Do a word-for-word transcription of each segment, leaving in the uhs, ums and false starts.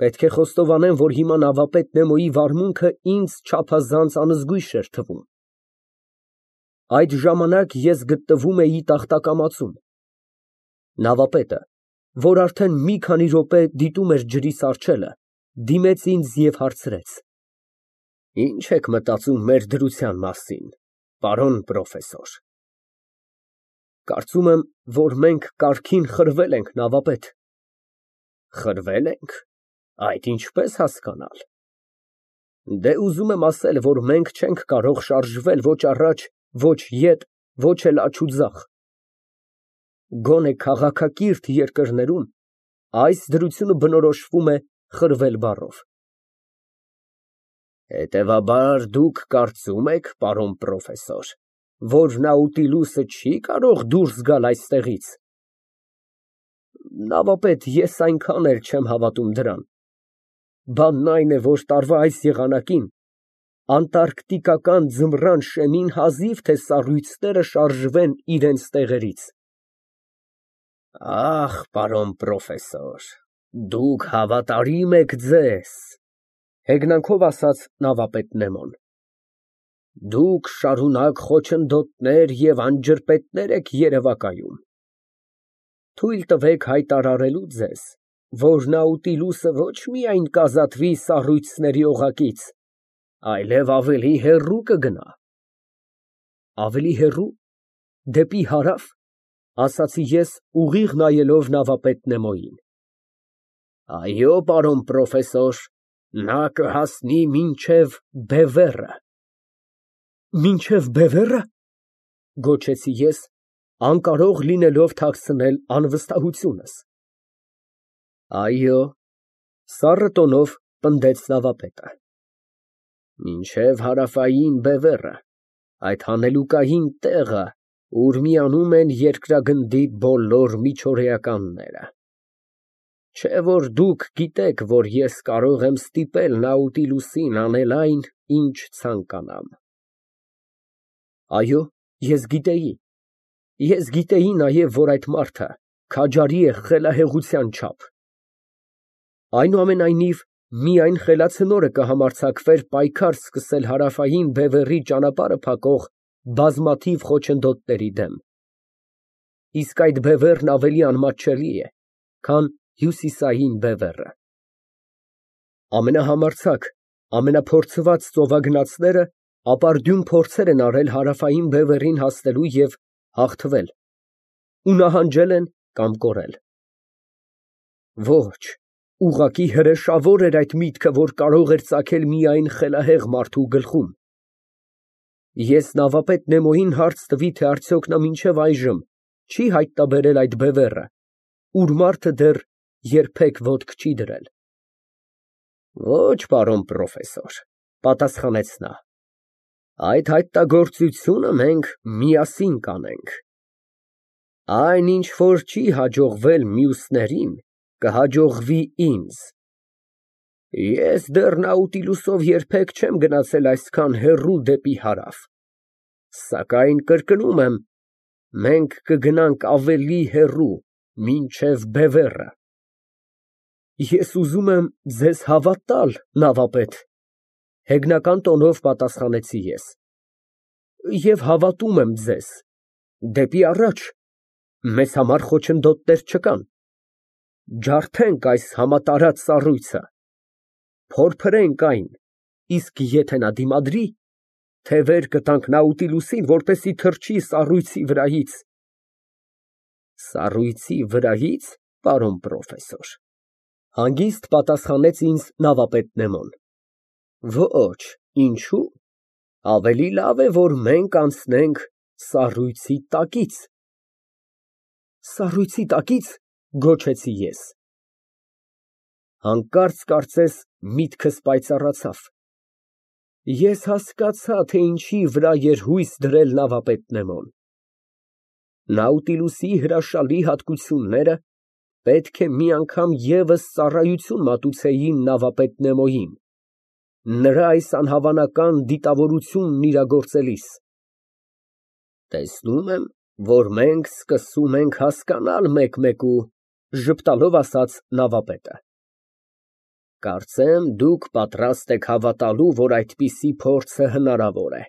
Պետք է խոստովանեմ, որ հիմա նավապետ Նեմոյի վարմունքը ինձ չափազանց անզգույշ էր թվում։ Այդ ժամանակ ես գտնվում էի տախտակամածում։ Նավապետը, որ արդեն մի քանի րոպե դիտում էր ջրի սառչելը, դիմեց ինձ և հարցրեց. Ի՞նչ եք մտածում մեր դրության մասին, պարոն պրոֆեսոր։ Կարծում եմ, որ մենք կարգին խրվել ենք, նավապետ։ Խրվե՞լ ենք, այդ ինչպես հասկանալ։ Դե, ուզում եմ ասել, որ մենք չենք կարող շարժվել ոչ առաջ, ոչ ետ, ոչ էլ աջ ու ձախ։ Գոնե քաղաքակիրթ երկրներում այս դրությունը բնորոշվում է խրվել բառով։ Հետևաբար, դուք կարծում եք, պարոն պրոֆեսոր, որ Նաուտիլուսը չի կարող դուրս գալ այստեղից։ Նավապետ, ես այնքան էլ չեմ հավատում դրան։ Բանն այն է, որ տարվա այս եղանակին անտարկտիկական ձմռան շեմին հազիվ թե սառույցները շարժվեն իրենց տեղերից։ Ախ, պարոն պրոֆեսոր, դուք հավատարիմ եք ձեզ, հեգնանքով ասաց նավապետ Նեմոն։ Դուք շարունակ խոչընդոտներ և անջրպետներ եք երևակայում։ Թույլ տվեք հայտարարելու ձեզ, որ Նաուտիլուսը ոչ միայն կազատվի սառույցների օղակից, այլև ավելի հեռու կգնա։ Ավելի հեռու, դեպի հարավ, ասացի ես, ուղիղ նայելով նավապետ Նեմոյին։ Այո, պարոն պրոֆեսոր, նա կհասնի մինչև Բևեռը։ Մինչև Բևեռը, գոչեցի ես, անկարող լինելով թաքցնել անվստահությունս։ Այո, սառը տոնով պնդեց նավապետը։ Մինչև հարավային Բևեռը, այդ հանելուկային տեղը, ուր միանում են երկրագնդի բոլոր միջօրեականները։ Չէ որ դուք գիտեք, որ ես կարող եմ ստիպել Նաուտիլուսին անել այն, ինչ ցանկանամ։ Այո, ես գիտեի։ Ես գիտեի նաև, որ այդ մարդը քաջարի է խելահեղության չափ։ Այնուամենայնիվ, միայն խելացնորը կհամարձակվեր պայքար սկսել հարավային Բևեռի ճանապարհը փակող բազմաթիվ խոչընդոտների դեմ։ Իսկ այդ Բևեռն ավելի անմատչելի է, քան հյուսիսային Բևեռը։ Ամենահամարձակ, ամենափորձված ծովագնացները ապարդյուն փորձեր են արել հարավային Բևեռին հասնելու և հաղթվել, ու նահանջել են կամ կորել։ Ոչ, ուղղակի հրեշավոր էր այդ միտքը, որ կարող էր ծագել միայն խելահեղ մարդու գլխում։ Ես նավապետ Նեմոյին հարց տվի, թե արդյոք նա մինչև այժմ չի հայտնաբերել այդ Բևեռը, ուր մարդը դեռ երբեք ոտք չի դրել։ Ոչ, պարոն պրոֆեսոր, պատասխանեց նա, այդ հայտնագործությունը մենք միասին կանենք։ Այն, ինչ որ չի հաջողվել մյուսներին, կհաջողվի ինձ։ Ես դեռ Նաուտիլուսով երբեք չեմ գնացել այսքան հեռու դեպի հարավ, սակայն կրկնում եմ, մենք կգնանք ավելի հեռու, մինչև Բևեռը։ Ես ուզում եմ ձեզ հավատալ, նավապետ, հեգնական տոնով պատասխանեցի ես, և հավատում եմ ձեզ, դեպի առաջ մեզ համար խոչընդոտներ չկան։ Ջարդենք այս համատարած սառույցը, փորփրենք այն, իսկ եթե նա դիմադրի, թևեր կտանք Նաուտիլուսին, որպեսզի թռչի սառույցի վրայից։ Սառույցի վրայի՞ց, պարոն պրոֆեսոր, հանգիստ պատասխանեց ինձ նավապետ Նեմոն։ Ոչ, ինչո՞ւ, ավելի լավ է, որ մենք անցնենք սառույցի տակից։ Սառույցի տակի՞ց, գոչեցի ես։ Հանկարծ կարծես միտքս պայծառացավ։ Ես հասկացա, թե ինչի վրա էր հույս դրել նավապետ Նեմոն։ Նաուտիլուսի հրաշալի հատկությունները պետք է մի անգամ ևս ծառայություն մատուցեին նավապետ Նեմոյին, նրա այս անհավանական դիտավորությունն իրագործելիս։ Տեսնում եմ, որ մենք սկսում ենք հասկանալ մեկ մեկու, ժպտալով ասաց նավապետը։ Կարծեմ, դուք պատրաստ եք հավատալու, որ այդպիսի փորձը հնարավոր է։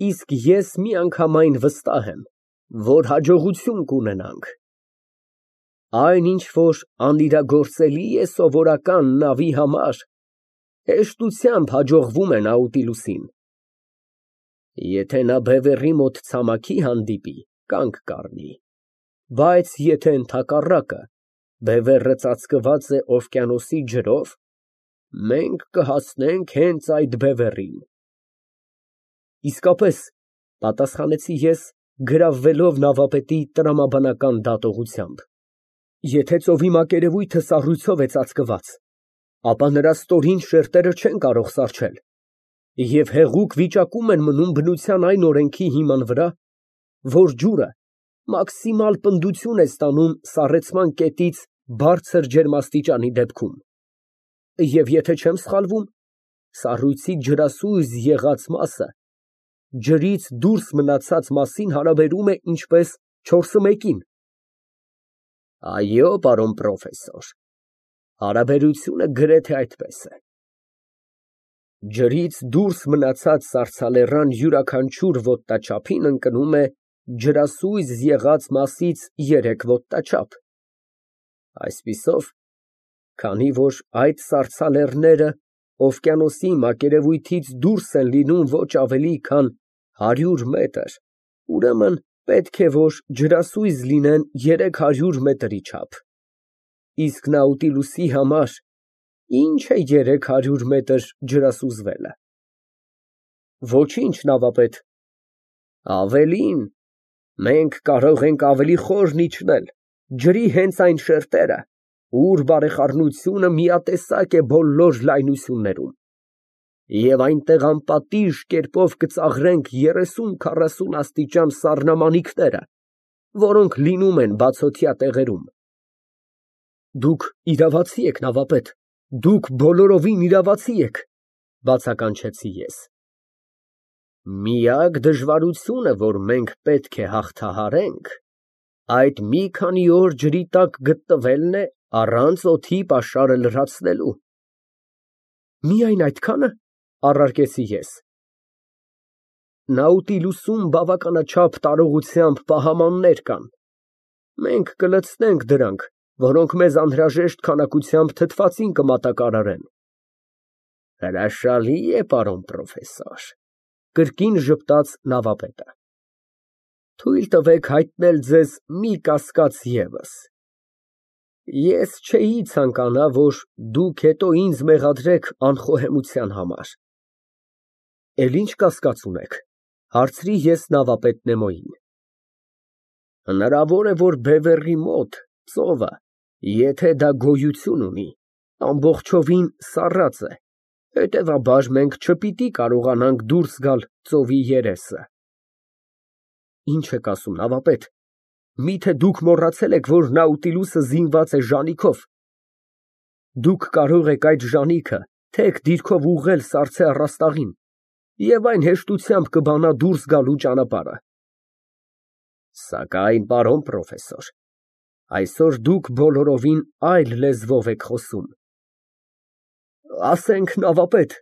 Իսկ ես միանգամայն վստահ եմ, որ հաջողություն կունենանք։ Այն, ինչ որ անիրագործելի է սովորական նավի համար, հեշտությամբ հաջողվում է Նաուտիլուսին։ Եթե նա բևեռի մոտ ցամաքի հանդիպի, կանգ կառնի, բայց եթե ընդհակառակը, բևեռը ծածկված է օվկիանոսի ջրով, մենք կհասնենք հենց այդ բևեռին։ Իսկապես, պատասխանեցի ես, գրավվելով նավապետի տրամաբանական դատողությամբ, եթե ծովի մակերևույթը սառույցով է ծածկված, ապա նրա ստորին շերտերը չեն կարող սառչել, և հեղուկ վիճակում են մնում բնության այն օրենքի հիման վրա, որ ջուրը մաքսիմալ պնդություն է ստանում սառեցման կետից բարձր ջերմաստիճանի դեպքում, և եթե չեմ սխալվում, սառույցի ջրասույզ եղած մասը ջրից դուրս մնացած մասին հարաբերում է ինչպես չորսը մեկին։ Այո, պարոն պրոֆեսոր, հարաբերությունը գրեթե այդպես է։ Ջրից դուրս մնացած սառցալեռան յուրաքանչյուր ոտնաչափին ընկնում է ջրասույզ եղած մասից երեք ոտնաչափ։ Այսպիսով, քանի որ այդ սառցալեռները օվկիանոսի մակերևույթից դուրս են լինում ոչ ավելի քան հարյուր մետր, ուրեմն պետք է, որ ջրասույզ լինեն երեք հարյուր մետրի չափ, իսկ Նաուտիլուսի համար ի՞նչ է երեք հարյուր մետր ջրասուզվելը։ Ոչինչ, նավապետ, ավելին, մենք կարող ենք ավելի խորն իջնել, ջրի հենց այն շերտերը, ուր բարեխառնությունը միատեսակ է բոլոր լայնություններում, և այնտեղ անպատիժ կերպով կծաղրենք երեսուն֊քառասուն աստիճան սառնամանիքները, որոնք լինում են բացօթյա տեղերում։ Դուք իրավացի եք, նավապետ, դուք բոլորովին իրավացի եք, բացականչեցի ես։ Միակ դժվարությունը, որ մենք պետք է հաղթահարենք, այդ մի քանի օր ջրի տակ գտնվելն է առանց օդի պաշարը լրացնելու։ Միայն այդքա՞ն, առարկեցի ես։ Նաուտիլուսում բավականաչափ տարողությամբ պահամաններ կան, մենք կլցնենք դրանք, որոնք մեզ անհրաժեշտ քանակությամբ թթվածին կմատակարարեն։ Հրաշալի է, պարոն պրոֆեսոր, կրկին ժպտաց նավապետը։ Թույլ տվեք հայտնել ձեզ մի կասկած ևս։ Ես չէի ցանկանա, որ դուք հետո ինձ մեղադրեք անխոհեմության համար։ Էլ ի՞նչ կասկած ունեք, հարցրի ես նավապետ Նեմոյին։ Հնարավոր է, որ բևեռի մոտ ծովը, եթե դա գոյություն ունի, ամբողջովին սառած է, հետևաբար մենք չպիտի կարողանանք դուրս գալ ծովի երեսը։ Ի՞նչ եք ասում, նավապետ, միթե դուք մոռացել եք, որ Նաուտիլուսը զինված է ժանիքով։ Դուք կարող եք այդ ժանիքը թեք դիրքով ուղղել սառցե առաստաղին, և այն հեշտությամբ կբանա դուրս գալու ճանապարհը։ Սակայն, պարոն պրոֆեսոր, այսօր դուք բոլորովին այլ լեզվով եք խոսում։ Ասենք, նավապետ,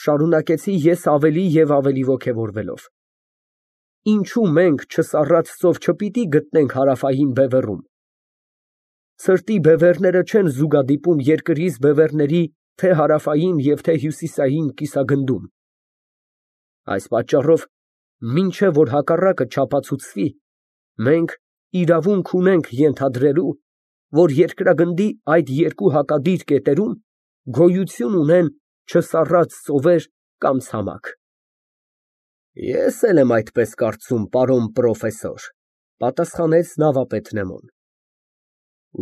շարունակեցի ես ավելի և ավելի ոգևորվելով, ինչո՞ւ մենք չսառած ծով չպիտի գտնենք հարավային բևեռում։ Սրտի բևեռները չեն զուգադիպում երկրից բևեռների թե հարավային և թե հյուսիսային կիսագնդում։ Այս պատճառով, մինչև որ հակառակը չապացուցվի, մենք իրավունք ունենք ենթադրելու, որ երկրագնդի այդ երկու հակադիր կետերում գոյություն ունեն չսառած ծովեր կամ ցամաք։ Ես էլ եմ այդպես կարծում, պարոն պրոֆեսոր, պատասխանեց նավապետ Նեմոն։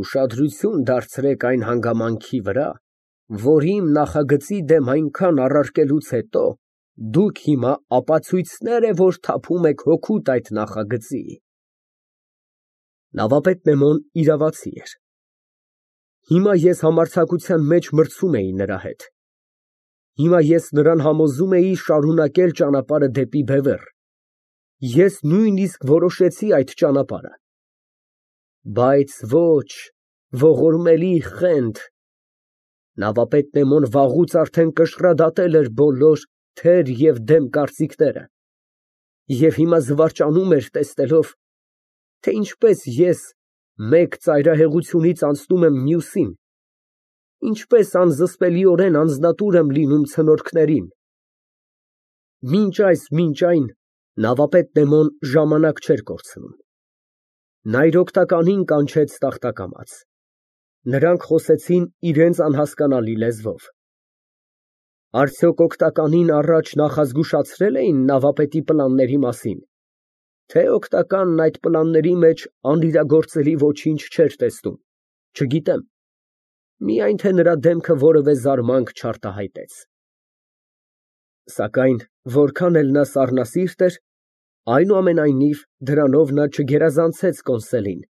Ուշադրություն դարձրեք այն հանգամանքի վրա, որ իմ նախագծի դեմ այնքան առարկելուց հետո դուք հիմա ապացույցներ է, որ թափում եք հօգուտ այդ նախագծի։ Նավապետ Նեմոն իրավացի էր։ Հիմա ես համարձակության մեջ մրցում էի նրա հետ։ Հիմա ես նրան համոզում էի շարունակել ճանապարհը դեպի բևեռ։ Ես նույնիսկ որոշեցի այդ ճանապարհը։ Բայց ոչ, ողորմելի Խենթ, Նավապետ Նեմոն վաղուց արդեն կշռադատել էր բոլոր թեր և դեմ կարծիքները և հիմա զվարճանում էր, տեսնելով, թե ինչպես ես մեկ ծայրահեղությունից անցնում եմ մյուսին, ինչպես անզսպելիորեն անձնատուր եմ լինում ցնորքներին։ Մինչ այս, մինչ այն նավապետ Նեմոն ժամանակ չէր կորցնում։ Նա իր օգնականին կանչեց տախտակամաց։ Նրանք խոսեցին իրենց անհասկանալի լեզվով։ Արդյոք օգնականին առաջ նախազգուշացրե՞լ էին նավապետի պլանների մասին, թե օգնականն այդ պլանների մեջ անիրագործելի ոչինչ չէր տեսնում, չգիտեմ, միայն թե նրա դեմքը որևէ զարմանք չարտահայտեց։ Սակայն որքան էլ նա սառնասիրտ էր, այնուամենայնիվ դրանով նա չգերազանցեց կոնսելին,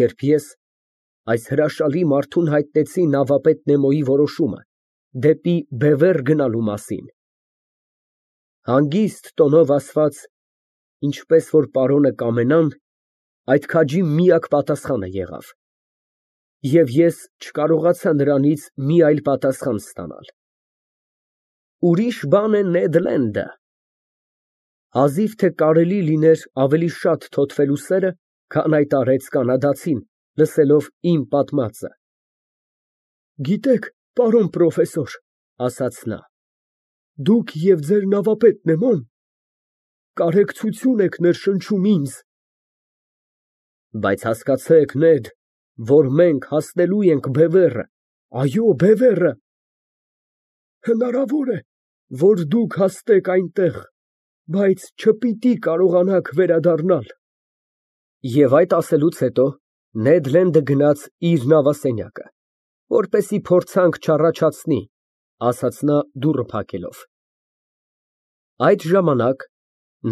երբ ես այս հրաշալի մարդուն հայտնեցի նավապետ Նեմոյի որոշումը դեպի Բևեռ գնալու մասին։ Հանգիստ տոնով ասված, ինչպես որ պարոնը կամենան, այդ քաջի միակ պատասխանը եղավ, և ես չկարողացա նրանից մի այլ պատասխան ստանալ։ Ուրիշ բան է Նեդ Լենդը։ Հազիվ թե կարելի լիներ ավելի շատ թոթվելու սերը, քան այդ արեց կանադացին, լսելով իմ պատմածը։ Գիտեք, պարոն պրոֆեսոր, ասաց նա, դուք և ձեր նավապետ Նեմոն կարեկցություն եք ներշնչում ինձ։ Բայց հասկացեք, Նեդ, որ մենք հասնելու ենք Բևեռը, այո, Բևեռը։ Հնարավոր է, որ դուք հասնեք այնտեղ, բայց չպիտի կարողանաք վերադառնալ։ Եվ այդ ասելուց հետո Նեդ Լենդը գնաց իր նավասենյակը, որպեսզի փորձանք չառաջացնի, ասաց նա դուռը փակելով։ Այդ ժամանակ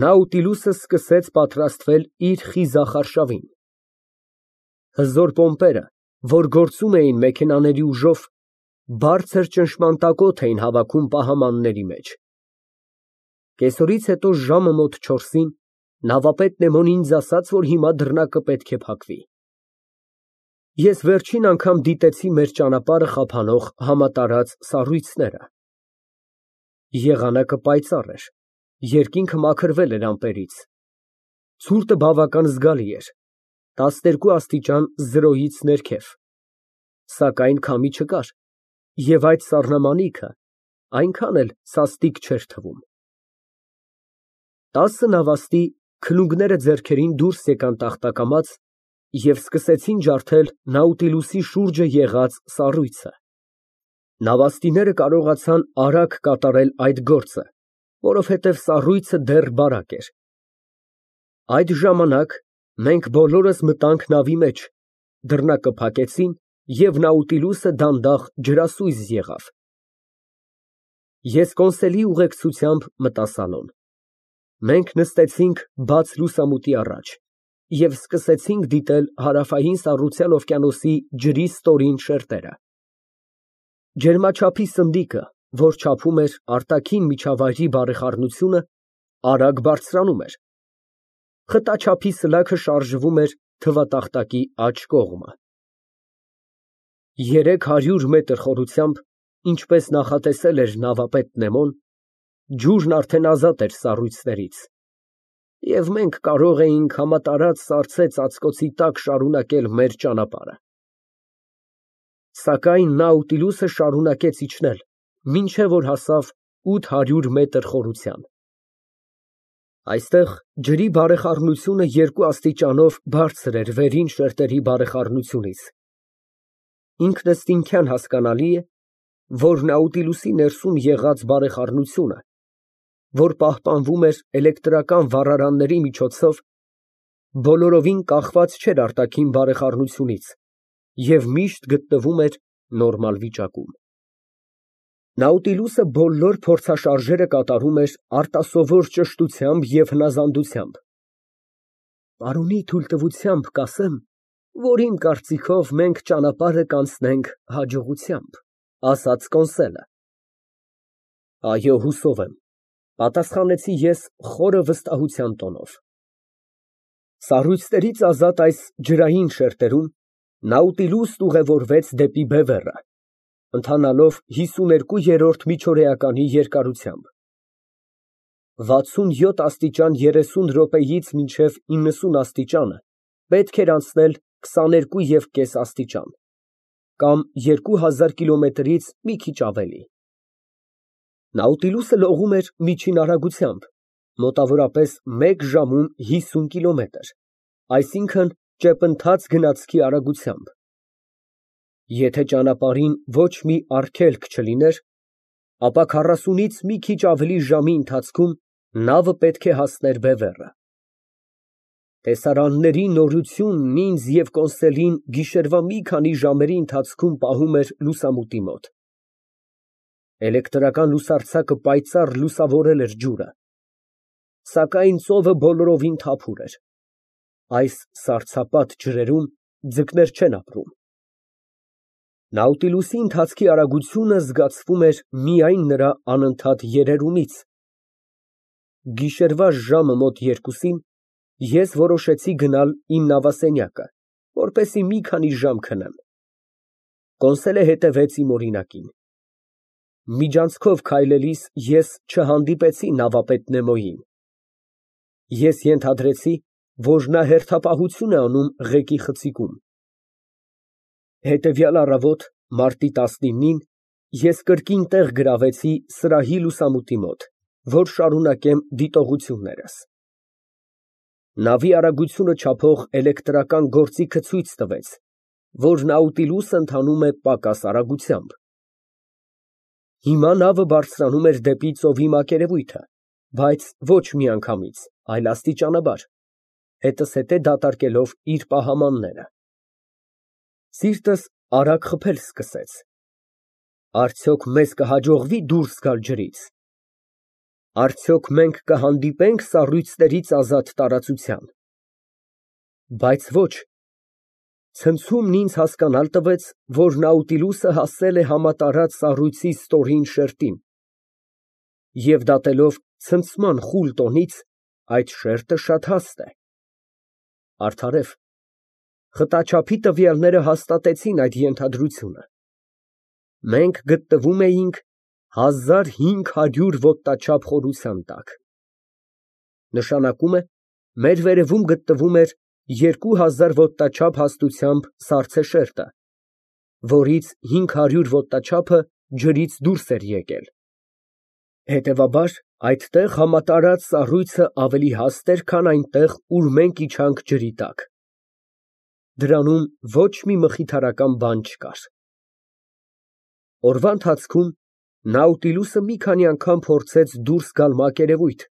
Նաուտիլուսը սկսեց պատրաստվել իր խիզախ արշավին։ Հզոր պոմպերը, որ գործում էին մեքենաների ուժով, բարձր ճնշմանտակոթ էին հավաքում պահամանների մեջ։ Կեսօրից հետո ժամը մոտ չորսին նավապետ Նեմոն ինձ ասաց, որ հիմա դռնակը պետք է փակվի։ Ես վերջին անգամ դիտեցի մեր ճանապարհը խափանող համատարած սառույցները։ Եղանակը պայծառ էր, երկինքը մաքրվել էր ամպերից։ Ցուրտը բավական զգալի էր, տասներկու աստիճան զրոյից ներքև, սակայն քամի չկար, և այդ սառնամանիքը այնքան էլ սաստիկ չէր թվում։ Տասը նավաստի քլունգները ձեռքերին դուրս եկան տախտակամաց և սկսեցին ջարդել Նաուտիլուսի շուրջը եղած սառույցը։ Նավաստիները կարողացան արագ կատարել այդ գործը, որովհետև սառույցը դեռ բարակ էր։ Այդ ժամանակ մենք բոլորս մտանք նավի մեջ, դռնակը փակեցին, և Նաուտիլուսը դանդաղ ջրասույզ եղավ։ Ես կոնսոլի ուղեկցությամբ մտա սալոն։ Մենք նստեցինք բաց լուսամուտի առաջ և սկսեցինք դիտել Հարավային Սառության օվկիանոսի ջրի ստորին շերտերը։ Ջերմաչափի սնդիկը, որ չափում էր արտաքին միջավայրի բարեխառնությունը, արագ բարձրանում էր։ Խտաչափի սլաքը շարժվում էր թվատախտակի աջ կողմը։ Երեք հարյուր մետր խորությամբ, ինչպես նախատեսել էր նավապետ Նեմոն, ջուրն արդեն ազատ էր սառույցներից, և մենք կարող էինք համատարած սառցե ծածկոցի տակ շարունակել մեր ճանապարհը։ Սակայն Նաուտիլուսը շարունակեց իջնել, մինչև որ հասավ ութ հարյուր մետր խորության։ Այստեղ ջրի բարեխառնությունը երկու աստիճանով բարձր էր վերին շերտերի բարեխառնությունից։ Ինքնըստինքյան հասկանալի է, որ Նաուտիլուսի ներսում եղած բարեխառնությունը, որ պահպանվում էր էլեկտրական վառարանների միջոցով, բոլորովին կախված չէր արտաքին բարեխառնությունից և միշտ գտնվում էր նորմալ վիճակում։ Նաուտիլուսը բոլոր փորձաշարժերը կատարում էր արտասովոր ճշտությամբ և հնազանդությամբ։ Պարոնի թույլտվությամբ կասեմ, որ իմ կարծիքով մենք ճանապարհը կանցնենք հաջողությամբ, ասաց կոնսելը։ Այո, հուսով եմ, պատասխանեցի ես խորը վստահության տոնով։ Սառույցներից ազատ այս ջրային շերտերում Նաուտիլուսն ուղևորվեց դեպի Բևեռը, Ընթանալով հիսուներկուերորդ միջօրեականի երկարությամբ։ վաթսունյոթ աստիճան երեսուն րոպեից մինչև իննսուն աստիճանը պետք էր անցնել քսաներկու և կես աստիճան, կամ երկու հազար կիլոմետրից մի քիչ ավելի։ Նաուտիլուսը լողում էր միջին արագությամբ, մոտավորապես մեկ ժամում հիսուն կիլոմետր, այսինքն՝ ճեպընթաց գնացքի արագությամբ։ Եթե ճանապարհին ոչ մի արգելք չլիներ, ապա քառասունից մի քիչ ավելի ժամի ընթացքում նավը պետք է հասներ բևեռը։ Տեսարանների նորությունն ինձ և Կոնսելին գիշերվա մի քանի ժամերի ընթացքում պահում էր լուսամուտի մոտ։ Էլեկտրական լուսարձակը պայծառ լուսավորել էր ջուրը, սակայն ծովը բոլորովին թափուր էր։ Այս սառցապատ ջրերում ձկներ չեն ապրում։ Նաուտիլուսի ընթացքի արագությունը զգացվում էր միայն նրա անընդհատ երերումից։ Գիշերվա ժամը մոտ երկուսին ես որոշեցի գնալ իմ նավասենյակը, որպեսզի մի քանի ժամ քնեմ։ Կոնսելը հետևեց իմ օրինակին։ Միջանցքով քայլելիս ես չհանդիպեցի նավապետ Նեմոյին։ Ես ենթադրեցի, որ նա հերթապահություն է անում ղեկի խցիկում։ Հետևյալ առավոտ, մարտի տասնինին, ես կրկին տեղ գրավեցի սրահի լուսամուտի մոտ, որ շարունակեմ դիտողություններս։ Նավի արագությունը չափող էլեկտրական գործիքը ցույց տվեց, որ Նաուտիլուսը ընթանում է պակաս արագությամբ։ Հիմա նավը բարձրանում էր դեպի ծովի մակերևույթը, բայց ոչ միանգամից, այլ աստիճանաբար, հետզհետե դատարկելով իր պահամանները։ Սիրտս արագ խփել սկսեց։ Արդյոք մեզ կհաջողվի՞ դուրս գալ ջրից։ Արդյոք մենք կհանդիպե՞նք սառույցներից ազատ տարածության։ Բայց ոչ։ Ցնցումն ինձ հասկանալ տվեց, որ Նաուտիլուսը հասել է համատարած սառույցի ստորին շերտին, և դատելով ցնցման խուլ տոնից, այդ շերտը շատ հաստ է։ Արդարև, խտաչափի տվյալները հաստատեցին այդ ենթադրությունը։ Մենք գտնվում էինք հազար հինգ հարյուր ոտնաչափ խորության տակ, նշանակում է, մեր վերևում գտնվում էր երկու հազար ոտնաչափ հաստությամբ սառցե շերտը, որից հինգ հարյուր ոտնաչափը ջրից դուրս էր եկել։ Հետևաբար, այդտեղ համատարած սառույցը ավելի հաստ էր, քան այնտեղ, ուր մենք իջանք ջրի տակ։ Դրանում ոչ մի մխիթարական բան չկար։ Օրվա ընթացքում Նաուտիլուսը մի քանի անգամ փորձեց դուրս գալ մակերևույթ,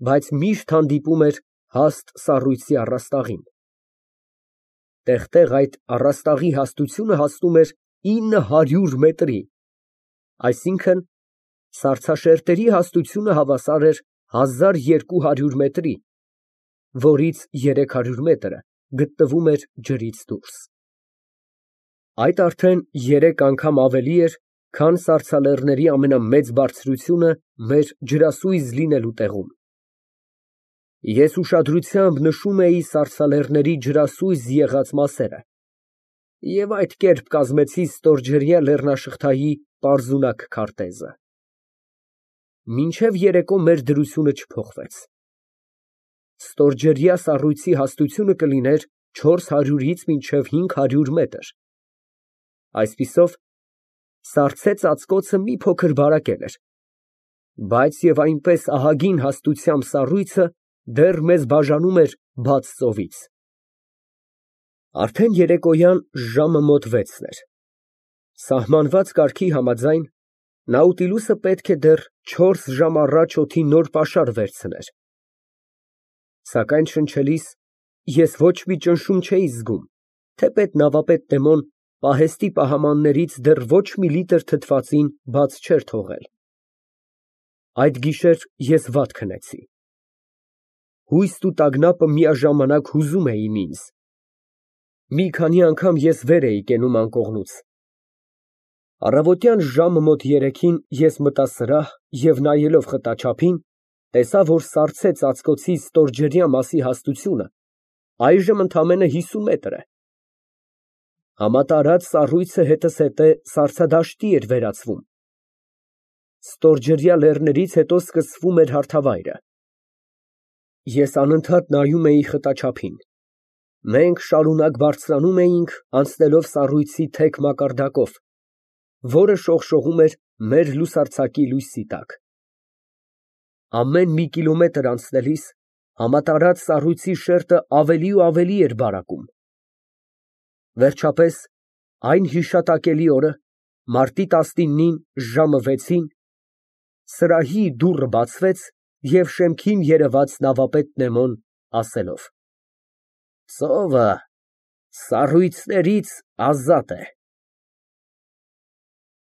բայց միշտ հանդիպում էր հաստ սառույցի առաստաղին։ Տեղ֊տեղ այդ առաստաղի հաստությունը հասնում էր ինը հարյուր մետրի, այսինքն՝ սառցաշերտերի հաստությունը հավասար էր հազար երկու հարյուր մետրի, որից երեք հարյուր մետրը գտնվում էր ջրից դուրս։ Այդ արդեն երեք անգամ ավելի էր, քան սառցալեռների ամենամեծ բարձրությունը մեր ջրասույզ լինելու տեղում։ Ես ուշադրությամբ նշում էի սառցալեռների ջրասույզ եղած մասերը և այդ կերպ կազմեցի ստորջրյա լեռնաշղթայի պարզունակ քարտեզը։ Մինչև երեկո մեր դրությունը չփոխվեց։ Ստորջրյա սառույցի հաստությունը կլիներ չորս հարյուրից մինչև հինգ հարյուր մետր։ Այսպիսով, սառցե ծածկոցը մի փոքր բարակել էր, բայց և այնպես ահագին հաստությամբ սառույցը դեռ մեզ բաժանում էր բաց ծովից։ Արդեն երեկոյան ժամը մոտ վեցն էր։ Սահմանված կարգի համաձայն, Նաուտիլուսը պետք է դեռ չորս ժամ առաջ օդի նոր պաշար վերցներ։ Սակայն շնչելիս ես ոչ մի ճնշում չէի զգում, թեպետ նավապետ Նեմոն պահեստի պահամաններից դեռ ոչ մի լիտր թթվածին բաց չէր թողել։ Այդ գիշեր ես վատ քնեցի։ Հույսն ու տագնապը միաժամանակ հուզում էին ինձ։ Մի քանի անգամ ես վեր էի կենում անկողնուց։ Առավոտյան ժամը մոտ երեքին ես մտա սրահ և նայելով խտաչափին, տեսա, որ սառցե ծածկոցի ստորջրյա մասի հաստությունը այժմ ընդամենը հիսուն մետր է։ Համատարած սառույցը հետզհետե սառցադաշտի էր վերածվում։ Ստորջրյա լեռներից հետո սկսվում էր հարթավայրը։ Ես անընդհատ նայում էի խտաչափին։ Մենք շարունակ բարձրանում էինք, անցնելով սառույցի թեք մակարդակով, որը շողշողում էր մեր լուսարձակի լույսի տակ։ Ամեն մի կիլոմետր անցնելիս համատարած սառույցի շերտը ավելի ու ավելի էր բարակում։ Վերջապես, այն հիշատակելի օրը, մարտի տասնինին ժամը վեցին, սրահի դուռը բացվեց, և շեմքին երևաց նավապետ Նեմոն, ասելով. «Ծովը սառույցներից ազատ է»։